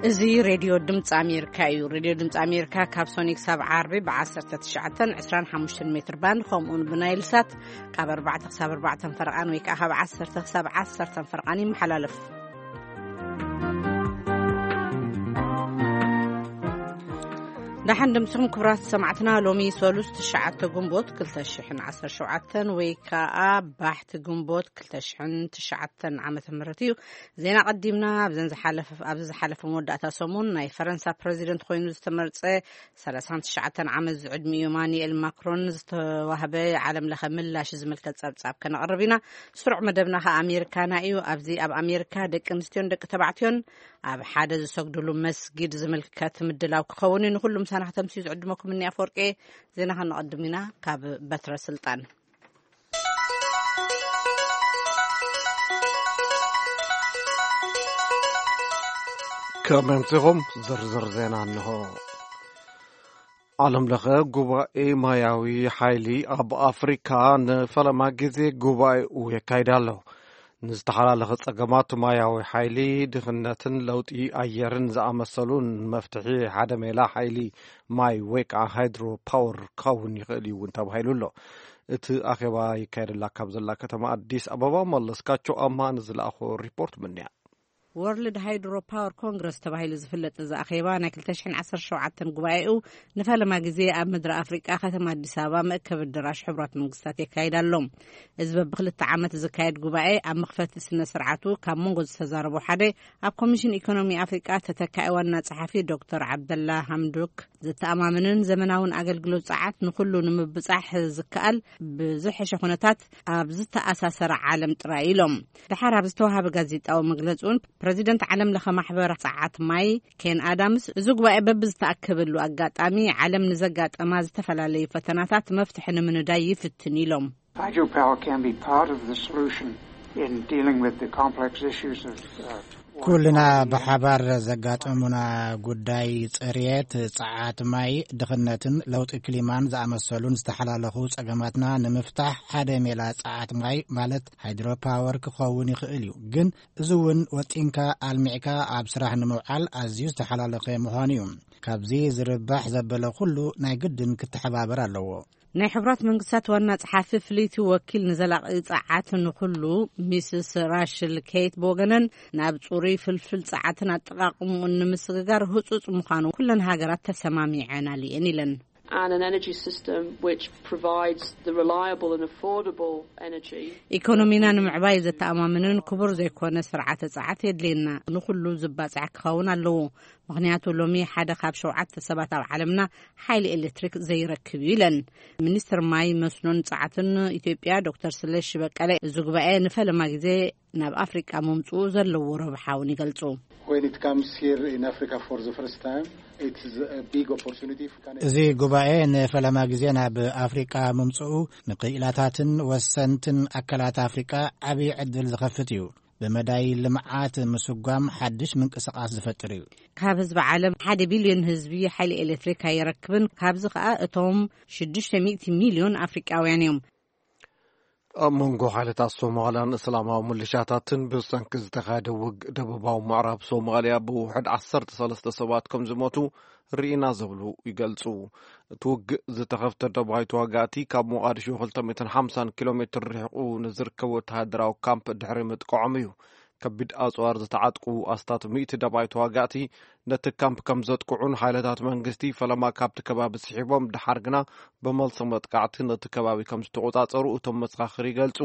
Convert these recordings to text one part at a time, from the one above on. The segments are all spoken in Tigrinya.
እዚ ሬድዮ ድምፂ ኣሜሪካ እዩ። ሬድዮ ድምፂ ኣሜሪካ ካብ ሶኒ ክሳብ ዓርቢ ብ19፣ 25 ሜትር ባንድ፣ ከምኡውን ብናይል ሳት ካብ ኣርባዕተ ክሳብ ኣርባዕተ ፈረቓን ወይ ከዓ ካብ ዓሰርተ ክሳብ ዓሰርተ ፈረቓን ይመሓላለፍ። ደሓን ድምፅኹም ክቡራት ሰማዕትና። ሎሚ ሰሉስ ትሽዓተ ግንቦት ክልተ ሽሕን ዓሰርተ ሸውዓተን ወይ ከዓ ባሕቲ ግንቦት ክልተ ሽሕን ትሽዓተን ዓመተ ምህረት እዩ። ዜና ቀዲምና ኣብዘን ዝሓለፈ፣ ኣብዚ ዝሓለፈ መወዳእታ ሰሙን ናይ ፈረንሳ ፕረዚደንት ኮይኑ ዝተመርጸ ሰላሳን ትሽዓተን ዓመት ዝዕድሚኡ ኢማኑኤል ማክሮን ዝተዋህበ ዓለም ለኸ ምላሽ ዝምልከት ጸብጻብ ከነቕርብ ኢና። ስሩዕ መደብና ኸኣ ኣሜሪካና እዩ። ኣብዚ ኣብ ኣሜሪካ ደቂ ኣንስትዮን ደቂ ተባዕትዮን ኣብ ሓደ ዝሰግድሉ መስጊድ ዝምልከት ምድላው ክኸውን እዩ። ንኹሉ ምሳና ከተምስዩ ዝዕድመኩም እኒ ኣፈወርቂ። ዜና ከነቐድም ኢና ካብ በትረ ስልጣን። ከመምፅኹም ዝርዝር ዜና እንሆ። ዓለም ለኸ ጉባኤ ማያዊ ሓይሊ ኣብ ኣፍሪካ ንፈለማ ግዜ ጉባኤኡ የካይድ ኣሎ። ንዝተሓላለኸ ጸገማት ማያዊ ሓይሊ፣ ድኽነትን ለውጢ ኣየርን ዝኣመሰሉ ንመፍትሒ ሓደ ሜላ ሓይሊ ማይ ወይ ከዓ ሃይድሮ ፓወር ክኸውን ይኽእል እዩ እውን ተባሂሉ ኣሎ። እቲ ኣኼባ ይካየደላ ካብ ዘላ ከተማ ኣዲስ ኣበባ መለስካቸው ኣማ ንዝለኣኾ ሪፖርት ምንያ። ወርልድ ሃይድሮ ፓወር ኮንግረስ ተባሂሉ ዝፍለጥ እዚ ኣኼባ ናይ ክልተ ሽሕን ዓሰርተ ሸውዓተን ጉባኤኡ ንፈለማ ግዜ ኣብ ምድሪ ኣፍሪቃ ከተማ ኣዲስ ኣበባ መእከቢ ኣዳራሽ ሕቡራት መንግስታት የካይድ ኣሎ። እዚ በብክልተ ዓመት ዝካየድ ጉባኤ ኣብ መኽፈቲ ስነ ስርዓቱ ካብ መንጎ ዝተዛረቡ ሓደ ኣብ ኮሚሽን ኢኮኖሚ ኣፍሪቃ ተተካኢ ዋና ጸሓፊ ዶክተር ዓብደላ ሃምዱክ፣ ዘተኣማምንን ዘመናውን ኣገልግሎት ጸዓት ንኹሉ ንምብጻሕ ዝከኣል ብዝሐሸ ኩነታት ኣብ ዝተኣሳሰረ ዓለም ጥራይ ኢሎም። ደሓር ኣብ ዝተዋሃበ ጋዜጣዊ መግለጺ እውን ፕረዚደንት ዓለም ለኸ ማሕበር ጸዓት ማይ ኬን ኣዳምስ፣ እዚ ጉባኤ በብዝተኣከበሉ ኣጋጣሚ ዓለም ንዘጋጠማ ዝተፈላለዩ ፈተናታት መፍትሒ ንምንዳይ ይፍትን ኢሎም። Hydropower can be part of the solution in dealing with the complex issues of, uh, ኩልና ብሓባር ዘጋጠሙና ጉዳይ ጽርየት፣ ጸዓት ማይ፣ ድኽነትን ለውጢ ክሊማን ዝኣመሰሉን ዝተሓላለኹ ጸገማትና ንምፍታሕ ሓደ ሜላ ጸዓት ማይ ማለት ሃይድሮፓወር ክኸውን ይኽእል እዩ። ግን እዚ እውን ወጢንካ ኣልሚዕካ ኣብ ስራሕ ንምውዓል ኣዝዩ ዝተሓላለኸ ምዃኑ እዩ። ካብዚ ዝርባሕ ዘበለ ኩሉ ናይ ግድን ክተሓባበር ኣለዎ። ናይ ሕቡራት መንግስታት ዋና ጸሓፊ ፍልይቲ ወኪል ንዘላቒ ጸዓት ንኹሉ ሚስስ ራሽል ኬት ብወገነን፣ ናብ ጽሩይ ፍልፍል ጸዓትን ኣጠቓቕምኡን ንምስግጋር ህጹጽ ምዃኑ ኩለን ሃገራት ተሰማሚዐናል እየን ኢለን። And an energy system which provides the reliable and affordable energy. ኢኮኖሚና ንምዕባይ ዘተኣማምንን ክቡር ዘይኮነ ስርዓተ ጸዓት የድልየና። ንኹሉ ዝባጻሕ ክኸውን ኣለዎ። ምኽንያቱ ሎሚ ሓደ ካብ ሸውዓተ ሰባት ኣብ ዓለምና ሓይሊ ኤሌክትሪክ ዘይረክብ እዩ ኢለን። ሚኒስትር ማይ መስኖን ጸዓትን ኢትዮጵያ ዶክተር ስለሺ በቀለ፣ እዚ ጉባኤ ንፈለማ ግዜ ናብ ኣፍሪቃ ምምጽኡ ዘለዎ ረብሓ እውን ይገልጹ። When it comes here in Africa for the first time, it is a big opportunity if we can እዚ ጉባኤ ንፈለማ ግዜ ናብ ኣፍሪቃ ምምጽኡ ንክኢላታትን ወሰንትን ኣካላት ኣፍሪቃ ዓብዪ ዕድል ዝኸፍት እዩ። ብመዳይ ልምዓት ምስጓም ሓድሽ ምንቅስቃስ ዝፈጥር እዩ። ካብ ህዝቢ ዓለም ሓደ ቢልዮን ህዝቢ ሓይሊ ኤሌክትሪክ ኣይረክብን። ካብዚ ከኣ እቶም ሽዱሽተ ሚእቲ ሚልዮን ኣፍሪቃውያን እዮም። ኣብ መንጎ ሓይልታት ሶማልያን እስላማዊ ምልሻታትን ብሰንኪ ዝተኻየደ ውግእ ደቡባዊ ምዕራብ ሶማልያ ብውሕድ ዓሰርተ ሰለስተ ሰባት ከም ዝሞቱ ርኢና ዝብሉ ይገልጹ። እቲ ውግእ ዝተኸፍተ ደባይ ተዋጋእቲ ካብ ሞቓዲሾ ክልተ ሚእትን ሓምሳን ኪሎ ሜትር ርሒቑ ንዝርከብ ወተሃደራዊ ካምፕ ድሕሪ ምጥቃዖም እዩ። ከቢድ ኣጽዋር ዝተዓጥቁ ኣስታት ሚእቲ ደባይ ተዋጋእቲ ነቲ ካምፕ ከም ዘጥቅዑን ሓይልታት መንግስቲ ፈለማ ካብቲ ከባቢ ስሒቦም ድሓር ግና ብመልሶ መጥቃዕቲ ነቲ ከባቢ ከም ዝተቖጻጸሩ እቶም መሰኻኽር ይገልጹ።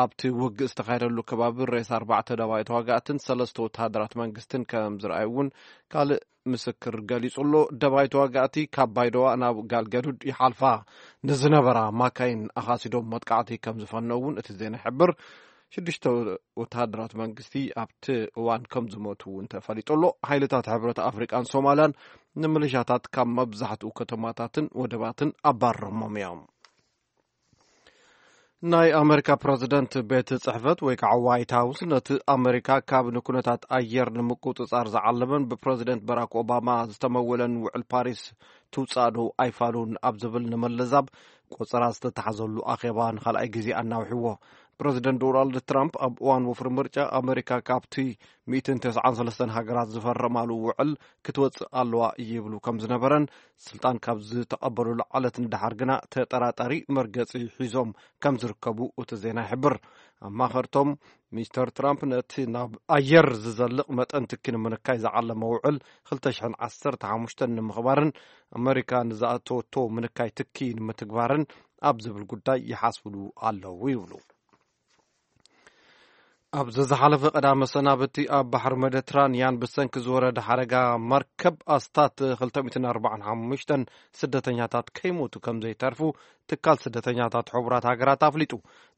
ኣብቲ ውግእ ዝተኻየደሉ ከባቢ ሬሳ ኣርባዕተ ደባይ ተዋጋእትን ሰለስተ ወተሃደራት መንግስትን ከም ዝረኣዩ እውን ካልእ ምስክር ገሊጹ ኣሎ። ደባይ ተዋጋእቲ ካብ ባይደዋ ናብ ጋልገዱድ ይሓልፋ ንዝነበራ ማካይን ኣኻሲዶም መጥቃዕቲ ከም ዝፈነው እውን እቲ ዜና ይሕብር። ሽዱሽተ ወተሃደራት መንግስቲ ኣብቲ እዋን ከም ዝሞቱ እውን ተፈሊጡ ኣሎ። ሓይልታት ሕብረት ኣፍሪቃን ሶማልያን ንምልሻታት ካብ መብዛሕትኡ ከተማታትን ወደባትን ኣባረሮሞም እዮም። ናይ ኣመሪካ ፕረዚደንት ቤት ጽሕፈት ወይ ከዓ ዋይት ሃውስ ነቲ ኣመሪካ ካብ ንኩነታት ኣየር ንምቁጽጻር ዝዓለመን ብፕረዚደንት በራክ ኦባማ ዝተመወለን ውዕል ፓሪስ ትውጻእ ዶ ኣይፋሉን ኣብ ዝብል ንምልዛብ ቆጸራ ዝተታሕዘሉ ኣኼባ ንኻልኣይ ግዜ ኣናውሕዎ። ፕረዚደንት ዶናልድ ትራምፕ ኣብ እዋን ወፍሪ ምርጫ ኣመሪካ ካብቲ ሚእትን ተስዓን ሰለስተን ሃገራት ዝፈረማሉ ውዕል ክትወጽእ ኣለዋ ይብሉ ከም ዝነበረን፣ ስልጣን ካብ ዝተቐበሉሉ ዕለት ንደሓር ግና ተጠራጣሪ መርገጺ ሒዞም ከም ዝርከቡ እቲ ዜና ይሕብር። ኣማኸርቶም ሚስተር ትራምፕ ነቲ ናብ ኣየር ዝዘልቕ መጠን ትኪ ንምንካይ ዝዓለመ ውዕል ክልተ ሽሕን ዓሰርተ ሓሙሽተን ንምኽባርን ኣመሪካ ንዝኣተወቶ ምንካይ ትኪ ንምትግባርን ኣብ ዝብል ጉዳይ ይሓስብሉ ኣለዉ ይብሉ። ኣብ ዝሓለፈ ቀዳመ ሰናብቲ ኣብ ባሕሪ ሜዲትራንያን ብሰንኪ ዝወረደ ሓደጋ መርከብ ኣስታት ክልተ ሚእትን ኣርባዓን ሓሙሽተን ስደተኛታት ከይሞቱ ከም ዘይተርፉ ትካል ስደተኛታት ሕቡራት ሃገራት ኣፍሊጡ።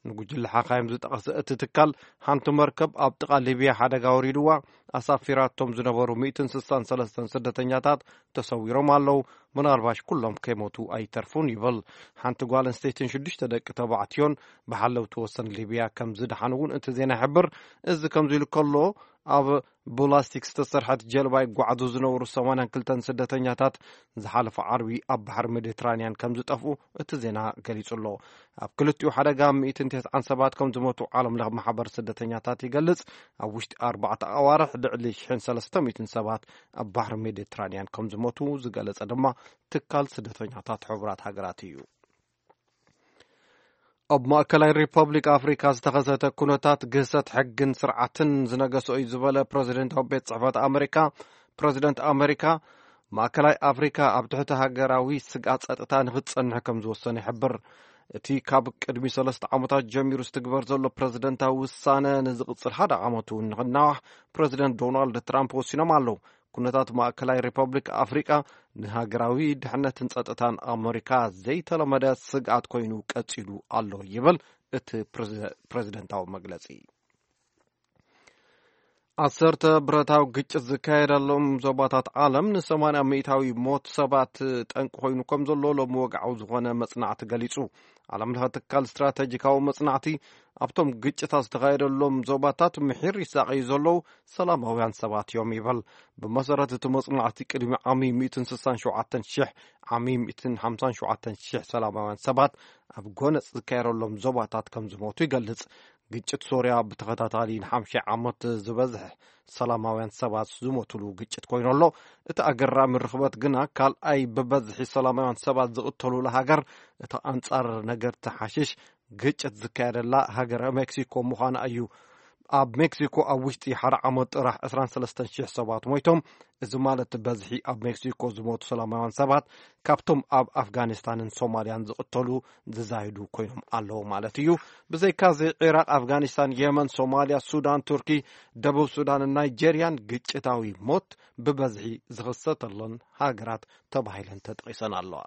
ንጉጅለ ሓኻይም ዝጠቐሰ እቲ ትካል፣ ሓንቲ መርከብ ኣብ ጥቓ ሊብያ ሓደጋ ወሪድዋ ኣሳፊራቶም ዝነበሩ ሚእትን ስሳን ሰለስተን ስደተኛታት ተሰዊሮም ኣለዉ። ምናልባሽ ኩሎም ከይሞቱ ኣይተርፉን ይብል። ሓንቲ ጓል ኣንስተይትን ሽዱሽተ ደቂ ተባዕትዮን ብሓለውቲ ወሰን ሊብያ ከም ዝደሓኑ እውን እቲ ዜና ይሕብር። እዚ ከምዚ ኢሉ ከሎ፣ ኣብ ብላስቲክ ዝተሰርሐት ጀልባ ይጓዓዙ ዝነበሩ ሰማንያን ክልተን ስደተኛታት ዝሓለፈ ዓርቢ ኣብ ባሕሪ ሜዲትራንያን ከም ዝጠፍኡ እቲ ዜና ገሊጹ ኣሎ። ኣብ ክልቲኡ ሓደጋ ሚእትን ተስዓን ሰባት ከም ዝሞቱ ዓለም ለኽ ማሕበር ስደተኛታት ይገልጽ። ኣብ ውሽጢ ኣርባዕተ ኣዋርሕ ልዕሊ ሽሕን ሰለስተ ሚእትን ሰባት ኣብ ባሕሪ ሜዲትራንያን ከም ዝሞቱ ዝገለጸ ድማ ትካል ስደተኛታት ሕቡራት ሃገራት እዩ። ኣብ ማእከላይ ሪፐብሊክ ኣፍሪካ ዝተኸሰተ ኩነታት ግህሰት ሕግን ስርዓትን ዝነገሶ እዩ ዝበለ ፕረዚደንታዊ ቤት ጽሕፈት ኣመሪካ፣ ፕረዚደንት ኣመሪካ፣ ማእከላይ ኣፍሪካ ኣብ ትሕቲ ሃገራዊ ስግኣት ጸጥታ ንክትጸንሕ ከም ዝወሰነ ይሕብር። እቲ ካብ ቅድሚ ሰለስተ ዓመታት ጀሚሩ ዝትግበር ዘሎ ፕረዚደንታዊ ውሳነ ንዝቕጽል ሓደ ዓመት እውን ንክናዋሕ ፕረዚደንት ዶናልድ ትራምፕ ወሲኖም ኣለዉ። ኩነታት ማእከላይ ሪፐብሊክ ኣፍሪቃ ንሃገራዊ ድሕነትን ጸጥታን ኣመሪካ ዘይተለመደ ስግኣት ኮይኑ ቀጺሉ ኣሎ ይብል እቲ ፕረዚ-፣ ፕረዚደንታዊ መግለጺ። ዓሰርተ ብረታዊ ግጭት ዝካየደሎም ዞባታት ዓለም ንሰማንያ ሚእታዊ ሞት ሰባት ጠንቂ ኮይኑ ከም ዘሎ ሎሚ ወግዓዊ ዝኾነ መጽናዕቲ ገሊጹ። ዓለም ለኸ ትካል ስትራተጂካዊ መጽናዕቲ ኣብቶም ግጭታት ዝተኻየደሎም ዞባታት ምሒር ይሳቐዩ ዘለዉ ሰላማውያን ሰባት እዮም ይበል። ብመሰረት እቲ መጽናዕቲ ቅድሚ ዓሚ ሚእትን ስሳን ሸውዓተን ሽሕ ዓሚ ሚእትን ሓምሳን ሸውዓተን ሽሕ ሰላማውያን ሰባት ኣብ ጎነጽ ዝካየደሎም ዞባታት ከም ዝሞቱ ይገልጽ። ግጭት ሶርያ ብተኸታታሊ ንሓምሻይ ዓመት ዝበዝሕ ሰላማውያን ሰባት ዝሞትሉ ግጭት ኮይኑ ኣሎ። እቲ ኣገራሚ ርኽበት ግና ካልኣይ ብበዝሒ ሰላማውያን ሰባት ዝቕተሉላ ሃገር፣ እቲ ኣንጻር ነገርቲ ሓሽሽ ግጭት ዝካየደላ ሃገረ ሜክሲኮ ምዃና እዩ። ኣብ ሜክሲኮ ኣብ ውሽጢ ሓደ ዓመት ጥራሕ ዕስራን ሰለስተን ሽሕ ሰባት ሞይቶም። እዚ ማለት በዝሒ ኣብ ሜክሲኮ ዝሞቱ ሰላማውያን ሰባት ካብቶም ኣብ ኣፍጋኒስታንን ሶማልያን ዝቕተሉ ዝዛይዱ ኮይኖም ኣለዉ ማለት እዩ። ብዘይካዚ ዒራቕ፣ ኣፍጋኒስታን፣ የመን፣ ሶማልያ፣ ሱዳን፣ ቱርኪ፣ ደቡብ ሱዳንን ናይጄርያን ግጭታዊ ሞት ብበዝሒ ዝኽሰተለን ሃገራት ተባሂለን ተጠቒሰን ኣለዋ።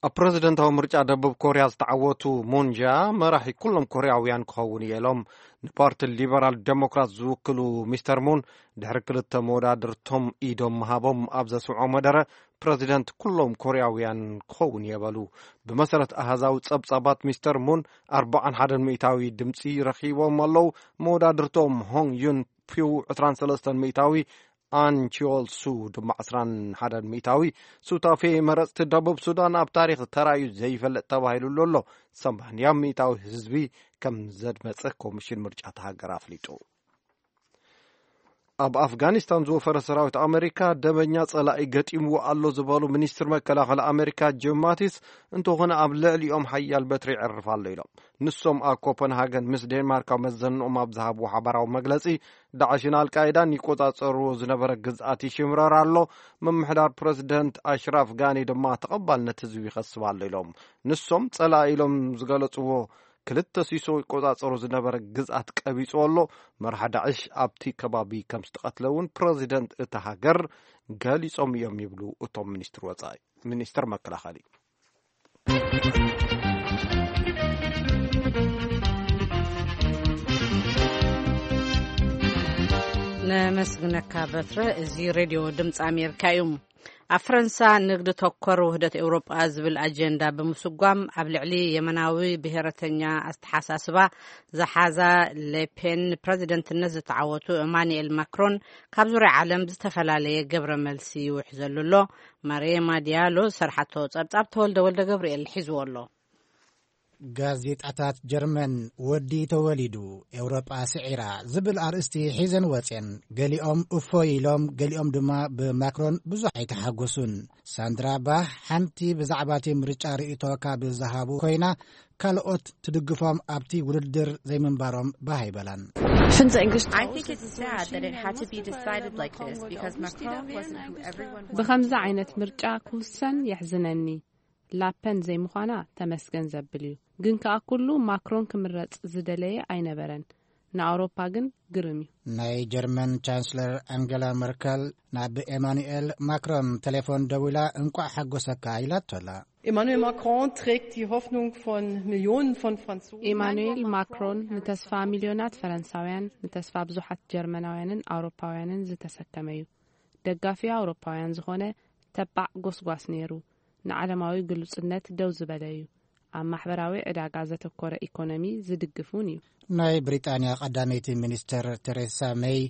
ኣብ ፕረዚደንታዊ ምርጫ ደቡብ ኮርያ ዝተዓወቱ ሙን ጃ መራሒ ኩሎም ኮርያውያን ክኸውን እየ ኢሎም። ንፓርቲ ሊበራል ዴሞክራት ዝውክሉ ሚስተር ሙን ድሕሪ ክልተ መወዳድርቶም ኢዶም ምሃቦም ኣብ ዘስምዖ መደረ ፕረዚደንት ኩሎም ኮርያውያን ክኸውን እየ በሉ። ብመሰረት ኣሃዛዊ ጸብጻባት ሚስተር ሙን ኣርባዓን ሓደን ሚእታዊ ድምጺ ረኺቦም ኣለዉ። መወዳድርቶም ሆንግ ዩን ፒው ዕስራን ሰለስተን ሚእታዊ ኣን ቺዮል ሱ ድማ ዕስራን ሓደን ሚእታዊ ሱታፌ መረጽቲ ደቡብ ሱዳን ኣብ ታሪኽ ተራእዩ ዘይፈልጥ ተባሂሉሉ ኣሎ። ሰማንያ ሚእታዊ ህዝቢ ከም ዘድመጸ ኮሚሽን ምርጫ እታ ሃገር ኣፍሊጡ። ኣብ ኣፍጋኒስታን ዝወፈረ ሰራዊት ኣመሪካ ደበኛ ጸላኢ ገጢምዎ ኣሎ ዝበሉ ሚኒስትር መከላኸሊ ኣመሪካ ጂም ማቲስ፣ እንተኾነ ኣብ ልዕሊኦም ሓያል በትሪ ይዕርፍ ኣሎ ኢሎም። ንሶም ኣብ ኮፐንሃገን ምስ ዴንማርክ ኣብ መዘንኦም ኣብ ዝሃብዎ ሓባራዊ መግለጺ፣ ዳዕሽን ኣልቃይዳን ይቆጻጸርዎ ዝነበረ ግዝኣት ይሽምረር ኣሎ። ምምሕዳር ፕረዚደንት ኣሽራፍ ጋኒ ድማ ተቐባልነት ህዝቢ ይኸስብ ኣሎ ኢሎም። ንሶም ጸላኢ ኢሎም ዝገለጽዎ ክልተ ሲሶ ይቆጻጸሮ ዝነበረ ግዝኣት ቀቢጹ ኣሎ። መርሓ ዳዕሽ ኣብቲ ከባቢ ከም ዝተቐትለ እውን ፕረዚደንት እታ ሃገር ገሊጾም እዮም ይብሉ እቶም ሚኒስትር ወጻኢ፣ ሚኒስትር መከላኸሊ። ነመስግነካ በትረ። እዚ ሬድዮ ድምፂ ኣሜሪካ እዩ። ኣብ ፈረንሳ ንግዲ ተኮር ውህደት ኤውሮጳ ዝብል ኣጀንዳ ብምስጓም ኣብ ልዕሊ የመናዊ ብሔረተኛ ኣተሓሳስባ ዝሓዛ ሌፔን ንፕረዚደንትነት ዝተዓወቱ ኤማኑኤል ማክሮን ካብ ዙርያ ዓለም ዝተፈላለየ ግብረ መልሲ ይውሕዘሉ ኣሎ። ማርየማ ዲያሎ ዝሰርሓቶ ጸብጻብ ተወልደ ወልደ ገብርኤል ሒዝዎ ኣሎ። ጋዜጣታት ጀርመን፣ "ወዲ ተወሊዱ፣ ኤውሮጳ ስዒራ" ዝብል ኣርእስቲ ሒዘን ወጼን። ገሊኦም እፎይ ኢሎም፣ ገሊኦም ድማ ብማክሮን ብዙሕ ኣይተሓጎሱን። ሳንድራ ባህ ሓንቲ ብዛዕባ እቲ ምርጫ ርእይቶ ካብ ዝሃቡ ኮይና፣ ካልኦት ትድግፎም ኣብቲ ውድድር ዘይምንባሮም ባህ ኣይበላን። I think it's sad that it had to be decided like this because Macron wasn't who everyone was. ብኸምዚ ዓይነት ምርጫ ክውሰን የሕዝነኒ። ላፐን ዘይምዃና ተመስገን ዘብል እዩ። ግን ከኣ ኩሉ ማክሮን ክምረጽ ዝደለየ ኣይነበረን። ንኣውሮፓ ግን ግርም እዩ። ናይ ጀርመን ቻንስለር ኣንገላ መርከል ናብ ኤማኑኤል ማክሮን ቴሌፎን ደዊላ፣ "እንቋዕ ሓጎሰካ" ኢላቶ ኣላ። Emmanuel Macron trägt die Hoffnung von Millionen von Franzosen. ኢማኑኤል ማክሮን ንተስፋ ሚልዮናት ፈረንሳውያን፣ ንተስፋ ብዙሓት ጀርመናውያንን ኣውሮፓውያንን ዝተሰከመ እዩ። ደጋፊ ኣውሮፓውያን ዝኾነ ተባዕ ጎስጓስ ነይሩ። ንዓለማዊ ግሉጽነት ደው ዝበለ እዩ። ኣብ ማሕበራዊ ዕዳጋ ዘተኮረ ኢኮኖሚ ዝድግፍ እውን እዩ። ናይ ብሪጣንያ ቀዳመይቲ ሚኒስተር ቴሬሳ ሜይ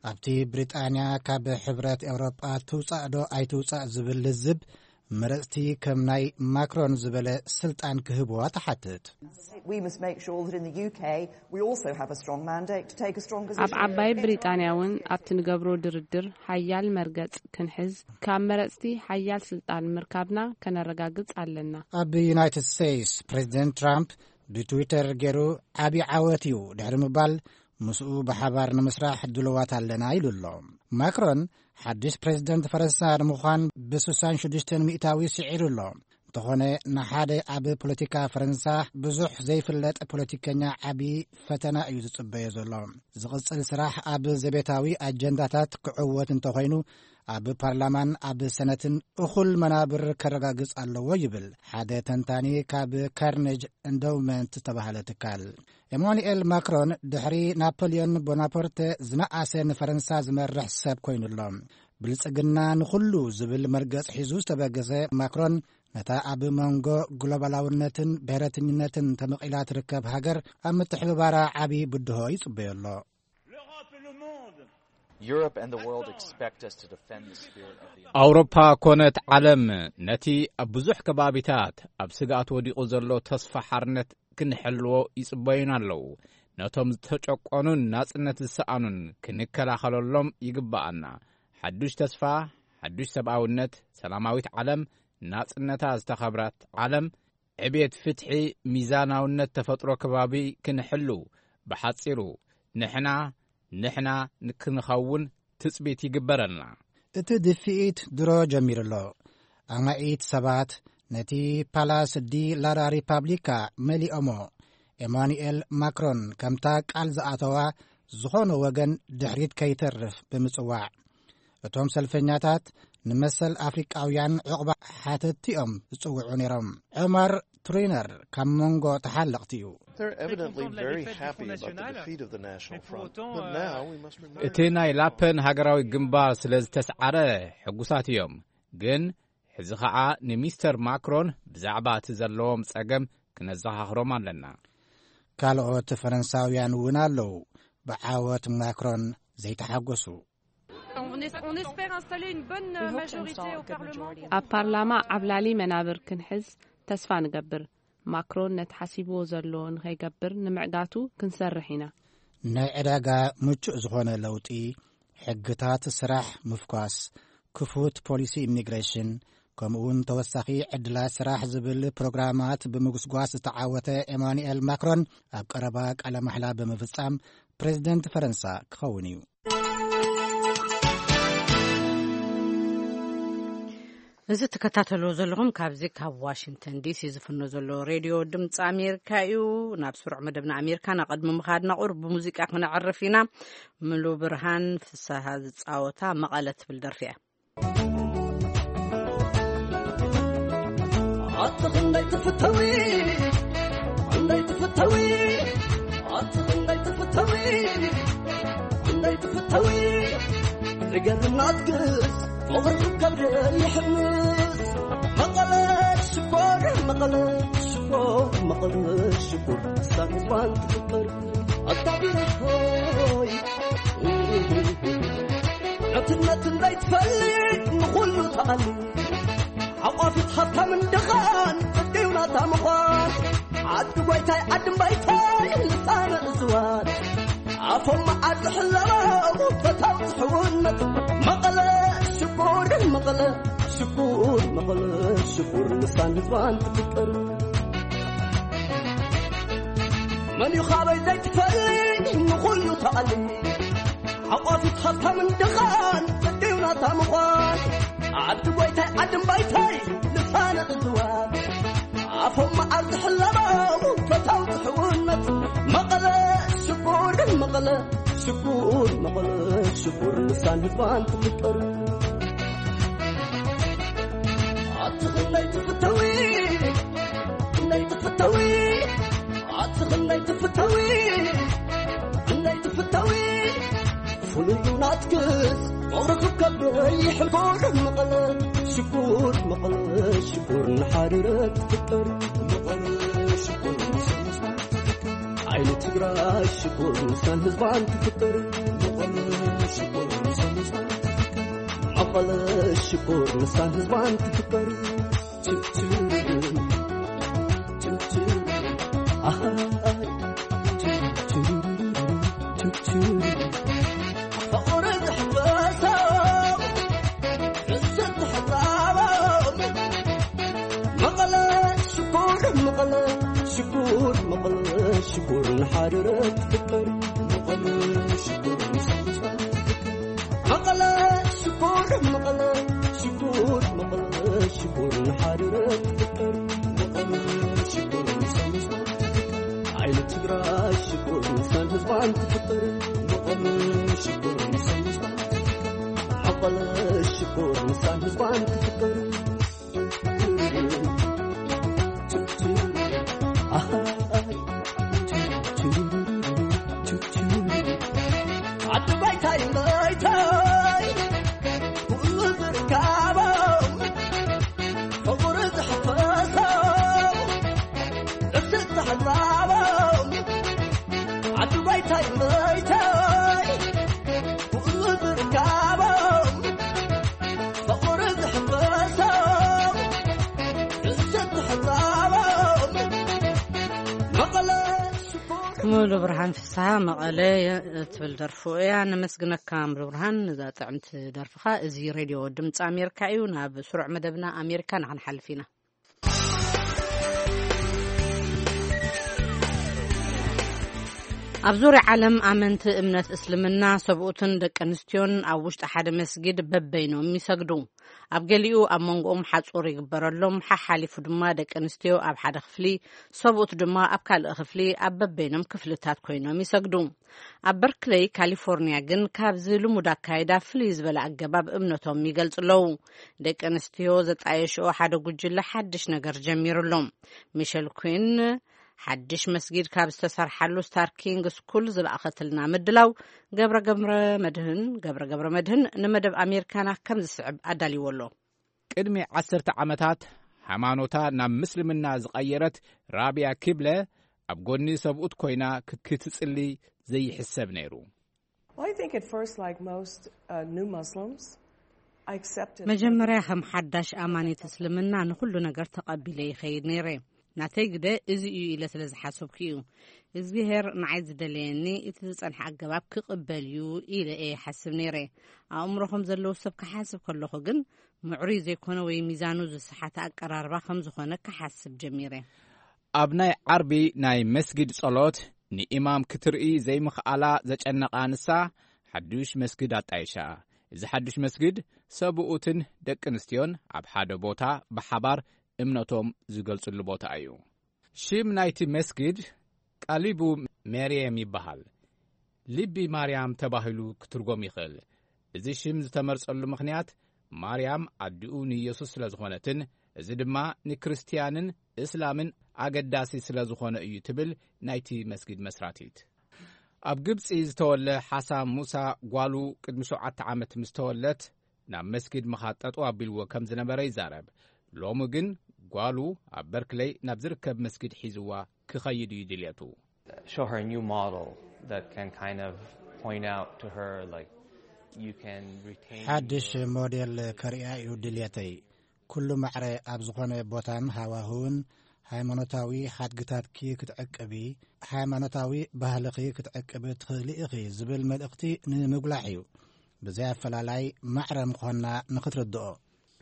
ኣብቲ ብሪጣንያ ካብ ሕብረት ኤውሮጳ ትውጻእ ዶ ኣይትውጻእ ዝብል ልዝብ፣ መረጽቲ ከም ናይ ማክሮን ዝበለ ስልጣን ክህብዋ ትሓትት። We must make sure that in the U K we also have a strong mandate to take a stronger ኣብ ዓባይ ብሪጣንያ እውን ኣብቲ ንገብሮ ድርድር ሓያል መርገጽ ክንሕዝ፣ ካብ መረጽቲ ሓያል ስልጣን ምርካብና ከነረጋግጽ ኣለና። ኣብ ዩናይትድ ስቴትስ፣ ፕሬዚደንት ትራምፕ ብትዊተር ገይሩ፣ "ዓቢ ዓወት እዩ" ድሕሪ ምባል፣ "ምስኡ ብሓባር ንምስራሕ ድልዋት ኣለና" ኢሉ ኣሎ። ማክሮን ሓድሽ ፕሬዚደንት ፈረንሳ ንምዃን ብ66% ስዒሩ ኣሎ። እንተኾነ፣ ንሓደ ኣብ ፖለቲካ ፈረንሳ ብዙሕ ዘይፍለጥ ፖለቲከኛ ዓቢ ፈተና እዩ ዝጽበዮ ዘሎ። ዝቕጽል ስራሕ ኣብ ዘቤታዊ ኣጀንዳታት ክዕወት እንተኾይኑ፣ ኣብ ፓርላማን ኣብ ሰነትን እኹል መናብር ከረጋግጽ ኣለዎ ይብል ሓደ ተንታኒ ካብ ካርኔጅ ኢንዶውመንት ዝተባህለ ትካል። ኤማኑኤል ማክሮን ድሕሪ ናፖሊዮን ቦናፖርተ ዝነኣሰ ንፈረንሳ ዝመርሕ ሰብ ኮይኑ ኣሎ። "ብልጽግና ንኹሉ" ዝብል መርገጽ ሒዙ ዝተበገሰ ማክሮን፣ ነታ ኣብ መንጎ ግሎባላውነትን ብሔረተኝነትን ተመቒላ ትርከብ ሃገር ኣብ ምትሕብባራ ዓቢ ብድሆ ይጽበዮ ኣሎ። Europe and the world expect us to defend the spirit of the ኣውሮፓ ኮነት ዓለም ነቲ ኣብ ብዙሕ ከባቢታት ኣብ ስግኣት ወዲቑ ዘሎ ተስፋ ሓርነት ክንሕልዎ ይጽበዩና ኣለዉ። ነቶም ዝተጨቆኑን ናጽነት ዝሰኣኑን ክንከላኸለሎም ይግብኣና። ሓዱሽ ተስፋ፣ ሓዱሽ ሰብኣውነት፣ ሰላማዊት ዓለም፣ ናጽነታ ዝተኸብረት ዓለም፣ ዕቤት ፍትሒ፣ ሚዛናውነት ተፈጥሮ ከባቢ ክንሕሉ፣ ብሓጺሩ ንሕና፣ ንሕና ንክንኸውን ትጽቢት ይግበረልና። እቲ ድፍኢት ድሮ ጀሚሩ ኣሎ። ኣማኢት ሰባት ነቲ ፓላስ ዲ ላራ ሪፓብሊካ መሊኦሞ፣ ኤማኑኤል ማክሮን ከምታ ቃል ዝኣተዋ ዝኾነ ወገን ድሕሪት ከይተርፍ ብምጽዋዕ። እቶም ሰልፈኛታት ንመሰል ኣፍሪቃውያን ዕቑባ ሓተትቲ እዮም ዝጽውዑ ነይሮም። ዑመር ቱሪነር ካብ መንጎ ተሓለቕቲ እዩ። They're evidently very happy about the defeat of the National Front, but now we must remember እቲ ናይ ላፐን ሃገራዊ ግንባር ስለ ዝተስዓረ ሕጉሳት እዮም። ግን ሕዚ ኸዓ ንሚስተር ማክሮን ብዛዕባ እቲ ዘለዎም ጸገም ክነዘኻኽሮም ኣለና። ካልኦት ፈረንሳውያን እውን ኣለዉ ብዓወት ማክሮን ዘይተሓጎሱ። On, es- on espère installer une bonne euh, majorité au Parlement. ኣብ ፓርላማ ዓብላሊ መናብር ክንሕዝ ተስፋ ንገብር። ማክሮን ነቲ ሓሲብዎ ዘሎ ንኸይገብር ንምዕጋቱ ክንሰርሕ ኢና። ናይ ዕዳጋ ምቹእ ዝኾነ ለውጢ፣ ሕግታት ስራሕ ምፍኳስ፣ ክፉት ፖሊሲ ኢሚግሬሽን፣ ከምኡውን ተወሳኺ ዕድላት ስራሕ ዝብል ፕሮግራማት ብምጉስጓስ ዝተዓወተ ኤማኑኤል ማክሮን ኣብ ቀረባ ቃለ ማሕላ ብምፍጻም ፕሬዚደንት ፈረንሳ ክኸውን እዩ። እዚ ትከታተልዎ ዘለኹም ካብዚ ካብ ዋሽንግተን ዲሲ ዝፍኖ ዘሎ ሬድዮ ድምፂ ኣሜሪካ እዩ። ናብ ስሩዕ መደብና ኣሜሪካ ናብ ቅድሚ ምኻድና ቁሩብ ብሙዚቃ ክነዕርፍ ኢና። ምሉ ብርሃን ፍስሃ ዝፃወታ መቐለ ትብል ደርፊ እያ። ኣቲ ክንደይ ትፍተዊ ክንደይ ትፍተዊ ኣቲ ክንደይ ትፍተዊ ክንደይ ትፍተዊ ዝገርም ናትክስ ፍቕሪ ከብደ ይሕምስ መቐለ ሽኮር መቐለ ሽኮር መቐለ ሽኮር ሳትፋን ትፍቅር ኣታ ቢረኮይ ዕትነት እንዳይትፈልጥ ንኹሉ ተኣሊ ሓቋፊት ሃብታምን ድኻን ጽድቅዩ ናታ ምዃን ዓዲ ጎይታይ ዓዲ እምባይታይ ልሳነ እዝዋር ኣፎም መዓር ዝሕለቦ ፈታው ዝሕውነት መቐለ ሽኮር መቐለ ሽኮር መቐለ ሽኮር ልሳን ህዝባን ትፍቅር መን እዩ ካበይ ዘይትፈሊ ንኹሉ ተቐሊ ሓቋፊት ሃብታምን ድኻን ጽድዩ ናታ ምዃን ዓዲ ጎይታይ ዓዲ እምባይታይ ልሳነ እዝዋር ኣፎም መዓር ዝሕለቦ ፈታው ዝሕውነት መቐለ ሽኩር መቐለ ሽኩር መቐለ ሽኩር ልሳን ህዝባን ትፍቅር ኣትኽለይ ትፍተዊ ክለይ ትፍተዊ ኣትኽለይ ትፍተዊ ክለይ ትፍተዊ ፍሉይ ናትክስ ፍቕሪ ክከበይ ሕልቦ መቐለ ሽኩር መቐለ ሽኩር ንሓሪረ ትፍጠር መቐለ ሽኩር ንሰንስባ ትፍጠር ዓይኒ ትግራይ ሽኩር ንሳን ህዝባን ትፍጠር መቐለ ሽኩር ንሰንስባ ትፍጠር መቐለ ሽኩር ንሳን ህዝባን ትፍጠር ሽኩር መቐለ ሽኩር ንሓደረ ትፍጠር መቐለ ሽኩር ንሳንሳ መቐለ ሽኮር መቐለ ሽኮር መቐለ ሽኮር ንሓደረ ትፍጠር መቐለ ሽኮር ንሳንሳ ዓይኒ ትግራይ ሽኮር ንሳን ህዝባን ትፍጠር መቐለ ሽኮር ንሳን ህዝባን ትፍጠር መቐለ ሽኮር ንሳን ህዝባን ትፍጠር ሙሉ ብርሃን ፍስሃ መቐለ ትብል ደርፉ እያ። ነመስግነካ ሙሉ ብርሃን ነዛ ጥዕምቲ ደርፍኻ። እዚ ሬድዮ ድምፂ ኣሜሪካ እዩ። ናብ ስሩዕ መደብና ኣሜሪካ ንክንሓልፍ ኢና። ኣብ ዙርያ ዓለም ኣመንቲ እምነት እስልምና ሰብኡትን ደቂ ኣንስትዮን ኣብ ውሽጢ ሓደ መስጊድ በበይኖም ይሰግዱ። ኣብ ገሊኡ ኣብ መንጎኦም ሓጹር ይግበረሎም፣ ሓሓሊፉ ድማ ደቂ ኣንስትዮ ኣብ ሓደ ክፍሊ፣ ሰብኡት ድማ ኣብ ካልእ ክፍሊ ኣብ በበይኖም ክፍልታት ኮይኖም ይሰግዱ። ኣብ በርክለይ ካሊፎርኒያ ግን ካብዚ ልሙድ ኣካይዳ ፍልይ ዝበለ ኣገባብ እምነቶም ይገልጹ ኣለዉ። ደቂ ኣንስትዮ ዘጣየሽኦ ሓደ ጉጅለ ሓድሽ ነገር ጀሚሩ ኣሎ። ሚሸል ኩን ሓድሽ መስጊድ ካብ ዝተሰርሓሉ ስታር ኪንግ ስኩል ዝለኣኸትልና ምድላው ገብረ ገብረ መድህን ገብረ ገብረ መድህን ንመደብ ኣሜሪካና ከም ዝስዕብ ኣዳልዎ ኣሎ። ቅድሚ ዓሰርተ ዓመታት ሃይማኖታ ናብ ምስልምና ዝቐየረት ራቢያ ኪብለ ኣብ ጎኒ ሰብኡት ኮይና ክትጽሊ ዘይሕሰብ ነይሩ። Well, I think at first, like most uh, new Muslims, I accepted. መጀመርያ ከም ሓዳሽ ኣማኒት እስልምና ንኹሉ ነገር ተቐቢለ ይኸይድ ነይረ። ናተይ ግደ እዚ እዩ ኢለ ስለ ዝሓሰብኩ እዩ። እግዚኣብሔር ንዓይ ዝደለየኒ እቲ ዝጸንሐ ኣገባብ ክቕበል እዩ ኢለ እየ ይሓስብ ነይረ። ኣእምሮ ከም ዘለዎ ሰብ ክሓስብ ከለኹ ግን ምዕሩይ ዘይኮነ ወይ ሚዛኑ ዝሰሓተ ኣቀራርባ ከም ዝኾነ ክሓስብ ጀሚረ። ኣብ ናይ ዓርቢ ናይ መስጊድ ጸሎት ንኢማም ክትርኢ ዘይምኽኣላ ዘጨነቓ ንሳ፣ ሓዱሽ መስጊድ ኣጣይሻ። እዚ ሓዱሽ መስጊድ ሰብኡትን ደቂ ኣንስትዮን ኣብ ሓደ ቦታ ብሓባር እምነቶም ዝገልጽሉ ቦታ እዩ። ሽም ናይቲ መስጊድ ቃሊቡ ሜርየም ይበሃል። ልቢ ማርያም ተባሂሉ ክትርጎም ይኽእል። እዚ ሽም ዝተመርጸሉ ምኽንያት ማርያም ኣዲኡ ንኢየሱስ ስለ ዝኾነትን እዚ ድማ ንክርስትያንን እስላምን ኣገዳሲ ስለ ዝኾነ እዩ ትብል ናይቲ መስጊድ መስራቲት። ኣብ ግብጺ ዝተወለ ሓሳም ሙሳ ጓሉ ቅድሚ ሸውዓተ ዓመት ምስ ተወለት ናብ መስጊድ ምኻድ ጠጠው ኣቢልዎ ከም ዝነበረ ይዛረብ። ሎሚ ግን ጓሉ ኣብ በርክለይ ናብ ዝርከብ መስጊድ ሒዝዋ ክኸይድ እዩ ድልየቱ። Show her a new model that can kind of point out to her like you can retain ሓድሽ ሞዴል ከርእያ እዩ ድልየተይ። ኩሉ ማዕረ ኣብ ዝኾነ ቦታን ሃዋህውን ሃይማኖታዊ ሓድግታትኪ ክትዕቅቢ፣ ሃይማኖታዊ ባህልኺ ክትዕቅቢ ትኽእሊ ኢኺ ዝብል መልእኽቲ ንምጉላሕ እዩ። ብዘይ ኣፈላላይ ማዕረ ምዃንና ንኽትርድኦ።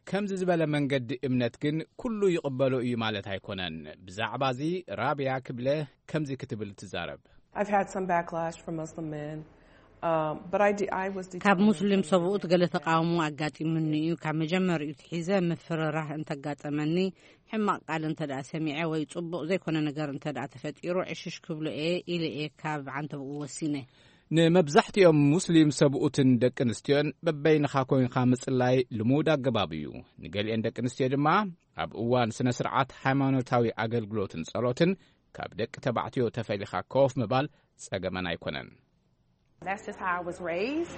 ከምዚ ዝበለ መንገዲ እምነት ግን ኩሉ ይቕበሎ እዩ ማለት ኣይኮነን። ብዛዕባዚ ራብያ ክብለ ከምዚ ክትብል ትዛረብ። I've had some backlash from Muslim men, um, but I, de- I was ካብ determined ሙስሊም from the ሰብኡት ገለ ተቃውሞ ኣጋጢሙኒ እዩ። ካብ መጀመሪኡ ትሒዘ ምፍርራህ እንተጋጠመኒ፣ ሕማቕ ቃል እንተ ደኣ ሰሚዐ ወይ ጽቡቕ ዘይኮነ ነገር እንተ ደኣ ተፈጢሩ፣ ዕሽሽ ክብሎ እየ ኢለ እየ ካብ ዓንተብኡ ወሲነ። ንመብዛሕትኦም ሙስሊም ሰብኡትን ደቂ ኣንስትዮን በበይንኻ ኮይንካ ምጽላይ ልሙድ ኣገባብ እዩ። ንገሊአን ደቂ ኣንስትዮ ድማ ኣብ እዋን ስነ ስርዓት ሃይማኖታዊ ኣገልግሎትን ጸሎትን ካብ ደቂ ተባዕትዮ ተፈሊኻ ኮፍ ምባል ጸገመን ኣይኮነን። That's just how I was raised.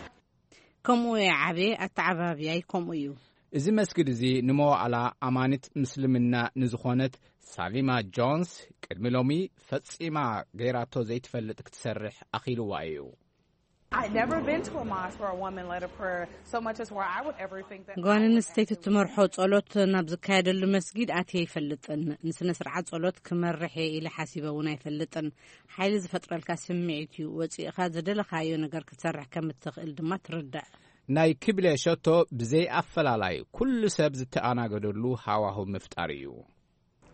ከምኡ እየ ዓብየ፣ ኣተዓባብያይ ከምኡ እዩ። እዚ መስጊድ እዚ ንመዋእላ ኣማኒት ምስልምና ንዝኾነት ሳሊማ ጆንስ ቅድሚ ሎሚ ፈጺማ ገይራቶ ዘይትፈልጥ ክትሰርሕ ኣኺልዋ እዩ። I never been to a mosque where a woman led a prayer so much as where I would ever think that I ጓል would ኣንስተይቲ actually ትመርሖ ጸሎት ናብ ዝካየደሉ መስጊድ ኣትየ ኣይፈልጥን። ንስነ ስርዓት ጸሎት ክመርሕ እየ ኢለ ሓሲበ እውን ኣይፈልጥን። ሓይሊ ዝፈጥረልካ ስምዒት እዩ። ወጺእኻ ዝደለኻዮ ነገር ክትሰርሕ ከም እትኽእል ድማ ትርዳእ። ናይ ክብለ ሸቶ ብዘይ ኣፈላላይ ኩሉ ሰብ ዝተኣናገደሉ ሃዋሁ ምፍጣር እዩ።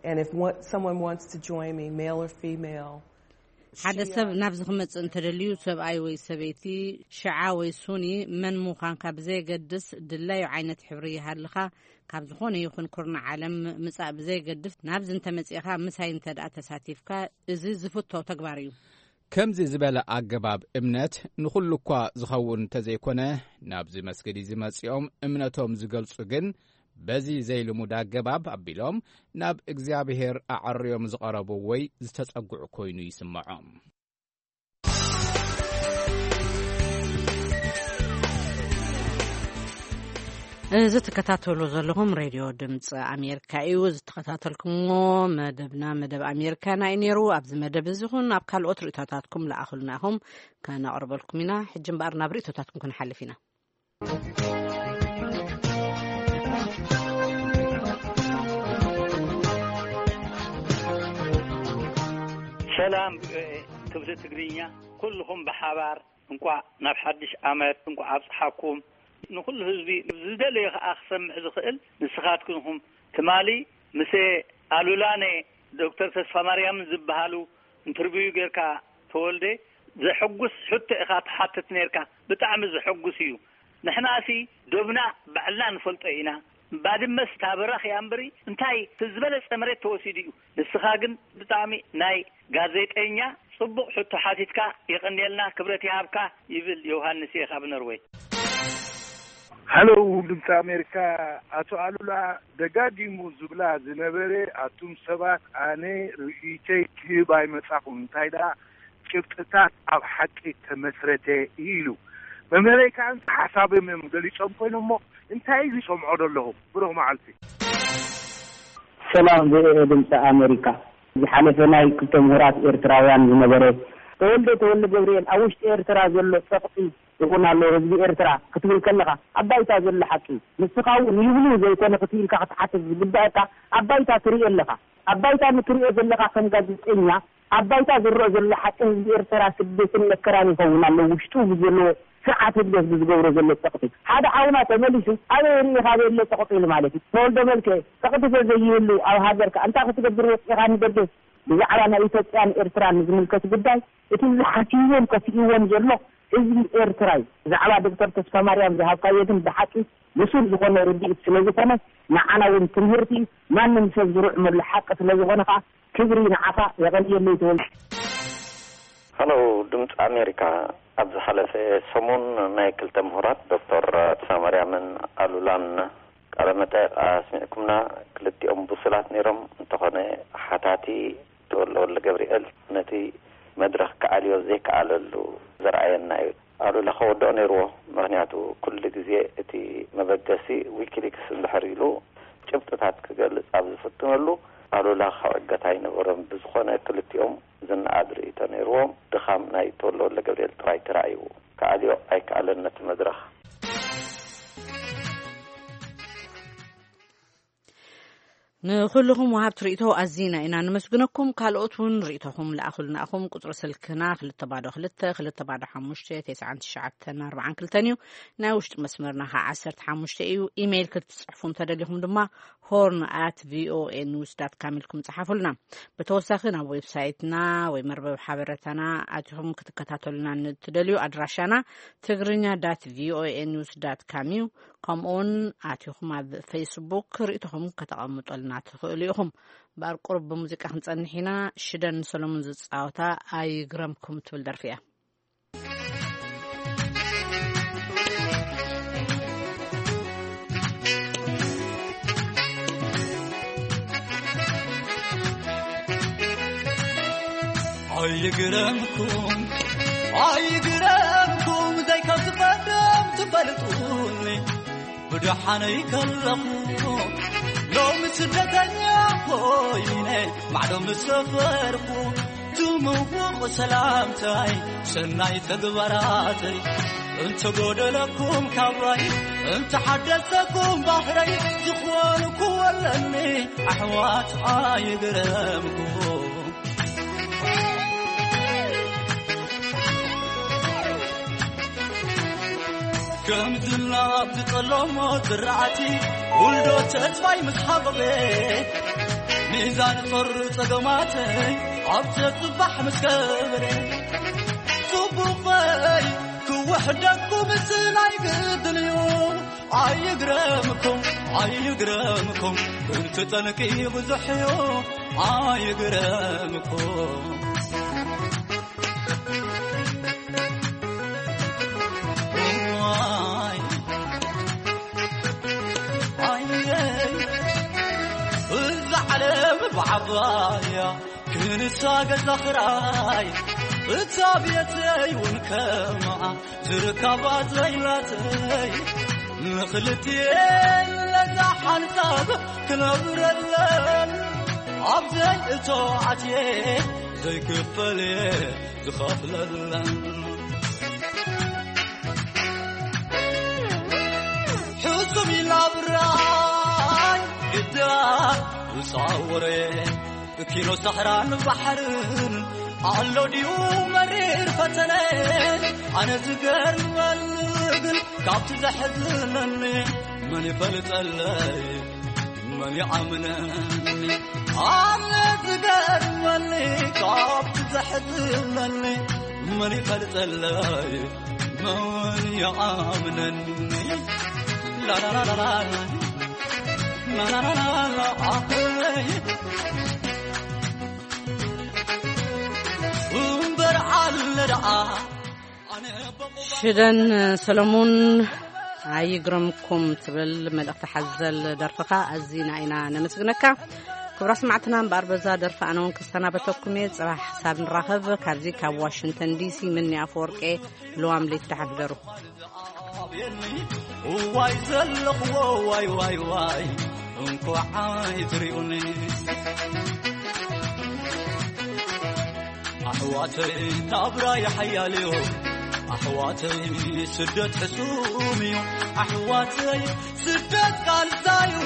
And if one, someone wants to join me, male or female, ሓደ ሰብ ናብዚ ክመጽእ እንተደልዩ፣ ሰብኣይ ወይ ሰበይቲ፣ ሽዓ ወይ ሱኒ፣ መን ምዃንካ ብዘየገድስ፣ ድላዩ ዓይነት ሕብሪ ይሃልኻ፣ ካብ ዝኾነ ይኹን ኩርናዕ ዓለም ምጻእ ብዘየገድስ፣ ናብዚ እንተመጺእኻ፣ ምሳይ እንተ ደኣ ተሳቲፍካ፣ እዚ ዝፍቶ ተግባር እዩ። ከምዚ ዝበለ ኣገባብ እምነት ንኹሉ እኳ ዝኸውን እንተዘይኮነ፣ ናብዚ መስጊድ እዚ መጺኦም እምነቶም ዝገልጹ ግን በዚ ዘይልሙድ ኣገባብ ኣቢሎም ናብ እግዚኣብሔር ኣዐርዮም ዝቐረቡ ወይ ዝተጸግዑ ኮይኑ ይስምዖም። እዚ ትከታተሉ ዘለኹም ሬድዮ ድምፂ ኣሜሪካ እዩ። ዝተኸታተልኩምዎ መደብና መደብ ኣሜሪካና እዩ ነይሩ። ኣብዚ መደብ እዚ ኹን ኣብ ካልኦት ርእይቶታትኩም ለኣኹልና ኢኹም፣ ከነቕርበልኩም ኢና። ሕጂ እምበኣር ናብ ርእይቶታትኩም ክንሓልፍ ኢና። ሰላም ክብሪ ትግርኛ፣ ኩልኹም ብሓባር እንቋዕ ናብ ሓድሽ ዓመት እንቋዕ ኣብጽሓኩም። ንኹሉ ህዝቢ ዝደለዮ ከኣ ክሰምዕ ዝኽእል ንስኻትኩም ኢኹም። ትማሊ ምስ ኣሉላነ ዶክተር ተስፋማርያምን ዝበሃሉ ኢንተርቪው ጌርካ፣ ተወልደ፣ ዘሐጉስ ሕቶ ኢኻ ትሓትት ኔርካ። ብጣዕሚ ዘሐጉስ እዩ። ንሕናሲ ዶብና ባዕልና ንፈልጦ ኢና። ባድመስ እታ በራኽ እያ እምበሪ፣ እንታይ እቲ ዝበለጸ መሬት ተወሲዱ እዩ። ንስኻ ግን ብጣዕሚ ናይ ጋዜጠኛ ጽቡቕ ሕቶ ሓቲትካ፣ የቐንየልና፣ ክብረት ይሃብካ ይብል ዮሃንስ እየ ካብ ኖርወይ። ሃሎ ድምፂ ኣሜሪካ፣ ኣቶ ኣሉላ ደጋጊሙ ዝብላ ዝነበረ፣ ኣቱም ሰባት፣ ኣነ ርእይቶይ ክህብ ኣይመጻኹን፣ እንታይ ደኣ ጭብጥታት ኣብ ሓቂ ተመስረተ ኢሉ። መምህረይ ከኣ ሓሳቦም እዮም ገሊጾም ኮይኖም እሞ እንታይ እዩ ዝሰምዖ ዘለኹ? ብሩኽ መዓልቲ። ሰላም ቪኦኤ ድምፂ ኣሜሪካ። ዝሓለፈ ናይ ክልተ ምሁራት ኤርትራውያን ዝነበረ ተወልደ ተወልደ ገብርኤል ኣብ ውሽጢ ኤርትራ ዘሎ ጸቕጢ ይኹን ኣሎ ህዝቢ ኤርትራ ክትብል ከለኻ ኣብ ባይታ ዘሎ ሓቂ እዩ። ንስኻ እውን ይብሉ ዘይኮነ ክትኢልካ ክትሓትት ዝግባኣካ ኣብ ባይታ ትርኢ ኣለኻ። ኣብ ባይታ ንትሪኦ ዘለኻ ከም ጋዜጠኛ ኣብ ባይታ ዝረአ ዘሎ ሓቂ ህዝቢ ኤርትራ ስደትን መከራን ይኸውን ኣሎ። ውሽጡ ብዘለዎ ስርዓት ህግደፍ ብዝገብሮ ዘሎ ጸቕጢ ሓደ ሓውና ተመሊሱ ኣበይ ርኢኻ ዘየለ ጸቕጢ ኢሉ ማለት እዩ። ተወልደ መልክዕ ጸቕጢ ተዘይህሉ ኣብ ሃገርካ እንታይ ክትገብር ወጺእኻ ንገደስ? ብዛዕባ ናይ ኢትዮጵያን ኤርትራን ንዝምልከት ጉዳይ እቲ ዝሓስይዎን ከስይዎን ዘሎ ህዝቢ ኤርትራ እዩ። ብዛዕባ ዶክተር ተስፋማርያም ዝሃብካዮ ግን ብሓቂ ብሱል ዝኾነ ርድኢት ስለ ዝኾነ ንዓና እውን ትምህርቲ እዩ። ማንም ሰብ ዝርዕመሉ ሓቂ ስለ ዝኾነ ከኣ ክብሪ ንዓኻ። የቐንየለይ ተወልደ። ሃሎ ድምፂ ኣሜሪካ፣ ኣብ ዝሓለፈ ሰሙን ናይ ክልተ ምሁራት ዶክተር ተስፋማርያምን ኣሉላን ቃለ መጠይቕ ኣስሚዕኩምና። ክልቲኦም ብሱላት ነይሮም፣ እንተኾነ ሓታቲ ተወልደ ወልደገብርኤል ነቲ መድረኽ ክኣልዮ ዘይከኣለሉ ዘርኣየና እዩ። ኣሉላ ከወድኦ ነይርዎ፣ ምኽንያቱ ኩሉ ግዜ እቲ መበገሲ ዊኪሊክስ እንድሕር ኢሉ ጭብጥታት ክገልጽ ኣብ ዝፍትነሉ ኣሉላ ክዕገት ኣይነበሮን። ብዝኾነ ክልቲኦም ዝነኣድ ርእይቶ ነይርዎም። ድኻም ናይ ተወልደ ወልደገብርኤል ጥራይ ተራእይዎ። ክኣልዮ ኣይከኣለን ነቲ መድረኽ። ንኹልኹም ወሃብቲ ርእይቶ ኣዚና ኢና ነመስግነኩም። ካልኦት እውን ርእይቶኹም ለኣኹልና ኢኹም። ቁጽሪ ስልክና ክልተ ባዶ ክልተ፣ ክልተ ባዶ ሓሙሽተ፣ ተስዓን ትሽዓተን ኣርባዓን ክልተን እዩ። ናይ ውሽጢ መስመርና ኸዓ ዓሰርተ ሓሙሽተ እዩ። ኢሜይል ክትጽሕፉ እንተደሊኹም ድማ ሆርን ኣት ቪኦኤ ኒውስ ዳት ካም ኢልኩም ጸሓፉልና። ብተወሳኺ ናብ ዌብሳይትና ወይ መርበብ ሓበሬታና ኣቲኹም ክትከታተሉና ንትደልዩ ኣድራሻና ትግርኛ ዳት ቪኦኤ ኒውስ ዳት ካም እዩ። ከምኡውን ኣቲኹም ኣብ ፌስቡክ ርእይቶኹም ከተቐምጠልና ትኽእሉ ኢኹም። እምበኣር ቁሩብ ብሙዚቃ ክንጸንሕ ኢና። ሽደን ሰሎሞን ዝጻወታ ኣይግረምኩም ትብል ደርፊ እያ። ኣይግረምኩም፣ ኣይግረምኩም፣ ዘይከም ዝቐደም ትፈልጡኒ። ብደሓነይ ከለኹ ሎሚ ስደተኛ ኮይነ ማዕዶ ምስ ሰፈርኩ፣ ትምውቕ ሰላምታይ፣ ሰናይ ተግባራተይ፣ እንተጎደለኩም ካባይ፣ እንተሓደሰኩም ባህረይ፣ ዝኾንኩዎ ኣለኒ ኣሕዋት ኣይግረምኩም። ከም ዝናብ ዝጠለሞ ዝራእቲ፣ ውልዶ ተስፋይ ምስ ሃበበ፣ ሚዛን ጾር ጸገማተይ ኣብ ተጽባሕ ምስ ከበረ፣ ጽቡቐይ ክውሕደኩም ስናይ ግድን እዩ። ኣይግረምኩም፣ ኣይግረምኩም፣ ክንቲ ጠንቂ ብዙሕ እዩ። ኣይግረምኩም። ዋይ፣ ኣየይ፣ እዛ ዓለም ብዓባያ ክንሳ ገዛ ኽራይ፣ እታ ቤተይ እውን ከምኣ ዝርከባ ዘይላተይ፣ ንኽልቲኤን ለዛ ሓንሳብ ክነብረለን፣ ኣብ ዘይእቶ ኣትየ ዘይክፈል እየ ዝኸፍለለን። ሕሱም ኢላ ብራይ ግዳ ዝሳወረ፣ ኪኖ ሰሕራን ባሕርን ኣሎ ድዩ መሪር ፈተነ? ኣነ ዝገርመኒ ግን ካብቲ ዘሕዝነኒ መን ይፈልጠለይ፣ መን ይኣምነኒ? ኣነ ዝገርመኒ ካብቲ ዘሕዝነኒ መን ይፈልጠለይ፣ መን ይኣምነኒ? ላላላላላ፣ ላላላላላ፣ ኣይ። እምበር ኣለ ደኣ ኣነ በቑባ ሽደን ሰለሙን ኣይግረምኩም ትብል መልእኽቲ ሓዘል ደርፍኻ ኣዚና ኢና ነመስግነካ። ክቡራት ሰማዕትና፣ እምበኣር በዛ ደርፊ ኣነ እውን ክሰናበተኩም እየ። ጽባሕ ክሳብ ንራኸብ ካብዚ ካብ ዋሽንግተን ዲሲ ምኒ ኣፈወርቄ ልዋም ለይቲ ደሓን ሕደሩ። እዋይ ዘለኽዎ ዋይ ዋይ ዋይ፣ እንኳዕ ኣይትሪኡኒ። ኣሕዋተይ ናብራ ይሓያል እዩ፣ ኣሕዋተይ ስደት ሕሱም እዩ፣ ኣሕዋተይ ስደት ቃልሳ እዩ።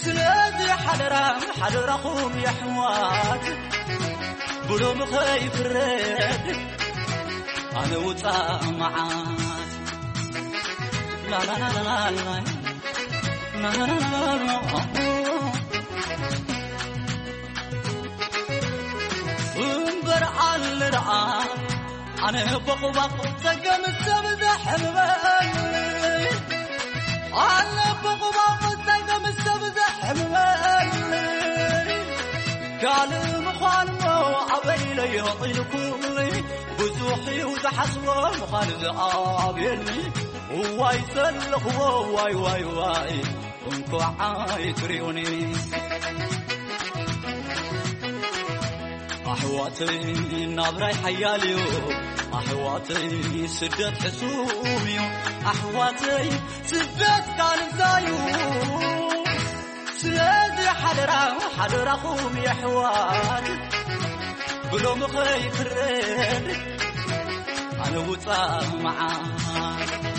ስለዚ ሓደራ ሓደራኹም የሕዋት፣ ብሎም ኸይፍረድ ኣነ ውፃእ መዓት። ላላላላላ፣ ላላላላላ። እምበር ኣለ ደኣ ኣነ በቑባቑ ጸገም ሰብ ዘሕምመኒ፣ ኣነ በቑባቑ ጸገም ሰብ ዘሕምመኒ፣ ካልእ ምዃንሞ ኣበይ ኢለዮ ኢልኩኒ፣ ብዙሕ እዩ ዝሓስቦ ምዃን ዝኣብየኒ። እዋይ ዘለኽዎ ዋይ ዋይ ዋይ፣ እንኳዕ ኣይትሪኡኒ። ኣሕዋተይ ናብራይ ሓያል እዩ፣ ኣሕዋተይ ስደት ሕሱም እዩ፣ ኣሕዋተይ ስደት ቃልዛ እዩ። ስለዚ ሓደራ ሓደራኹም የሕዋት፣ ብሎም ኸይፍረድ ኣነ ውፃእ መዓት።